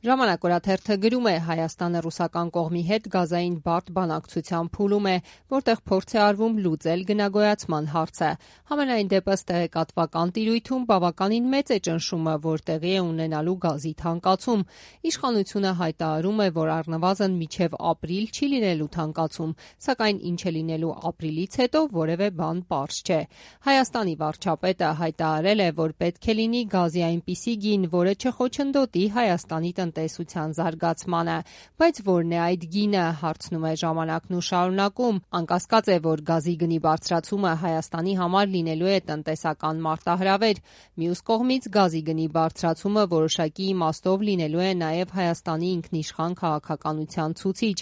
Ժամանակ օրաթերթը գրում է Հայաստանը ռուսական կողմի հետ գազային բարդ բանակցության փուլում է, որտեղ փորձ է արվում լուծել գնագոյացման հարցը։ Համենայն դեպս տեղեկատվական տիրույթում բավականին մեծ է ճնշումը, որ տեղի է ունենալու գազի թանկացում։ Իշխանությունը հայտարարում է, որ առնվազն մինչև ապրիլ չի լինելու թանկացում, սակայն ինչ է լինելու ապրիլից հետո որևէ բան պարզ չէ։ Հայաստանի վարչապետը հայտարարել է, որ պետք է լինի գազի այնպիսի գին, որը չխոչընդոտի Հայաստանի տնտեսության զարգացմանը, բայց որն է այդ գինը, հարցնում է ժամանակն ու շարունակում։ Անկասկած է, որ գազի գնի բարձրացումը Հայաստանի համար լինելու է տնտեսական մարտահրավեր։ Մյուս կողմից գազի գնի բարձրացումը որոշակի իմաստով լինելու է նաև Հայաստանի ինքնիշխան քաղաքականության ցուցիչ։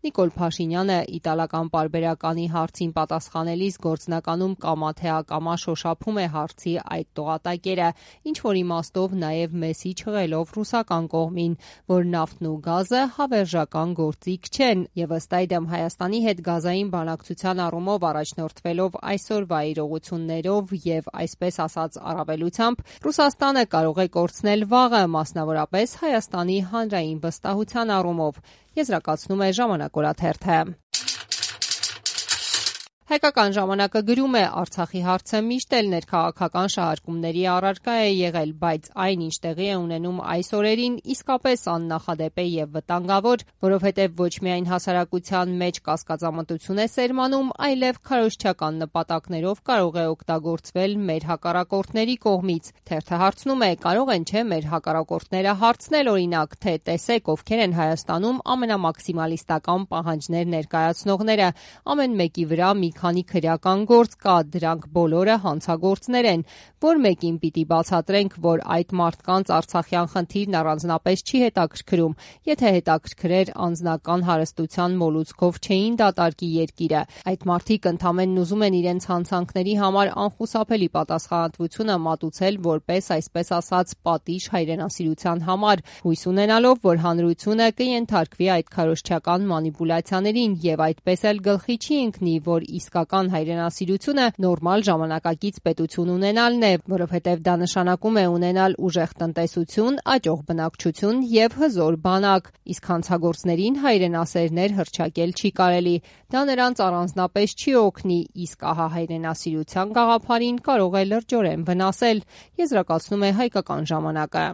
Նիկոլ Փաշինյանը իտալական պարբերականի հարցին պատասխանելիս գործնականում կամա թե ակամա շոշափում է հարցի այդ տողատակերը, ինչ-որ իմաստով նաև մեսի չղելով ռուսական կողմին, որ նավթն ու գազը հավերժական գործիք չեն, եւ ըստ այդմ Հայաստանի հետ գազային բանակցության առումով առաջնորդվելով այսօրվա իրողություններով եւ այսպես ասած առավելությամբ, Ռուսաստանը կարող է կորցնել վաղը, մասնավորապես Հայաստանի հանրային վստահության առումով, եզրակացնում է Ժամանակ օրաթերթը։ Հայկական ժամանակը գրում է Արցախի հարցը միշտ էլ ներքաղաքական շահարկումների առարկա է եղել, բայց այն, ինչ տեղի է ունենում այս օրերին, իսկապես աննախադեպ է եւ վտանգավոր, որովհետեւ ոչ միայն հասարակության մեջ կասկածամտություն է սերմանում, այլև քարոզչական նպատակներով կարող է օգտագործվել մեր հակառակորդների կողմից։ Թերթը հարցնում է, կարող են չէ մեր հակառակորդները հարցնել օրինակ, թե տեսեք ովքեր են Հայաստանում ամենամաքսիմալիստական պահանջներ ներկայացնողները, ամեն մեկի վրա մի քանի քրեական գործ կա, դրանք բոլորը հանցագործներ են, որ մեկին պիտի բացատրենք, որ այդ մարդկանց արցախյան խնդիրն առանձնապես չի հետաքրքրում, եթե հետաքրքրեր անձնական հարստության մոլուցքով չէին դատարկի երկիրը։ Այդ մարդիկ ընդամենն ուզում են իրենց հանցանքների համար անխուսափելի պատասխանատվությունը մատուցել որպես այսպես ասած պատիժ հայրենասիրության համար, հույս ունենալով, որ հանրությունը կենթարկվի այդ քարոզչական մանիպուլյացիաներին եւ այդպես էլ գլխի չի ընկնի, որ իսկական հայրենասիրությունը նորմալ ժամանակակից պետություն ունենալն է, որովհետև դա նշանակում է ունենալ ուժեղ տնտեսություն, աճող բնակչություն եւ հզոր բանակ, իսկ հանցագործներին հայրենասերներ հռչակել չի կարելի։ Դա նրանց առանձնապես չի օգնի, իսկ ահա հայրենասիրության գաղափարին կարող է լրջորեն վնասել, եզրակացնում է Հայկական ժամանակը։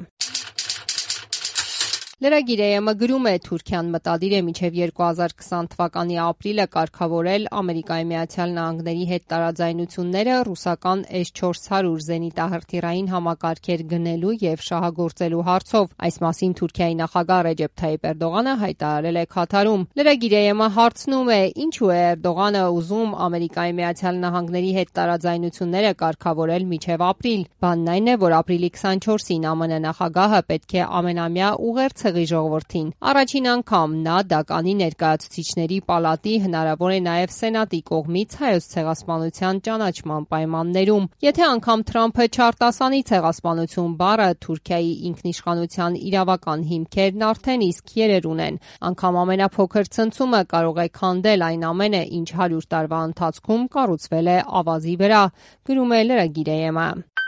Լրագիր.am-ը գրում է Թուրքիան մտադիր է մինչև 2020 թվականի ապրիլը կարգավորել Ամերիկայի Միացյալ Նահանգների հետ տարաձայնությունները ռուսական S-400 զենիտահրթիռային համակարգեր գնելու եւ շահագործելու հարցով։ Այս մասին Թուրքիայի նախագահ Ռեջեփ Թայիփ Էրդողանը հայտարարել է Քաթարում։ Լրագիր.am-ը հարցնում է, ինչու է Էրդողանը ուզում Ամերիկայի Միացյալ Նահանգների հետ տարաձայնությունները կարգավորել մինչև ապրիլ։ Բանն այն է, որ ապրիլի 24-ին ԱՄՆ նախագահը պետք է ամենամյա ուղերձ ժողովրդին։ Առաջին անգամ նա Դականի ներկայացուցիչների պալատի, հնարավոր է նաև Սենատի կողմից հայոց ցեղասպանության ճանաչման պայմաններում։ Եթե անգամ Թրամփը չարտասանի ցեղասպանություն բառը, Թուրքիայի ինքնիշխանության իրավական հիմքերն արդեն իսկ երեր ունեն։ Անգամ ամենափոքր ցնցումը կարող է քանդել այն ամենը, ինչ 100 տարվա ընթացքում կառուցվել է ավազի վրա, գրում է Լրագիր.am-ը։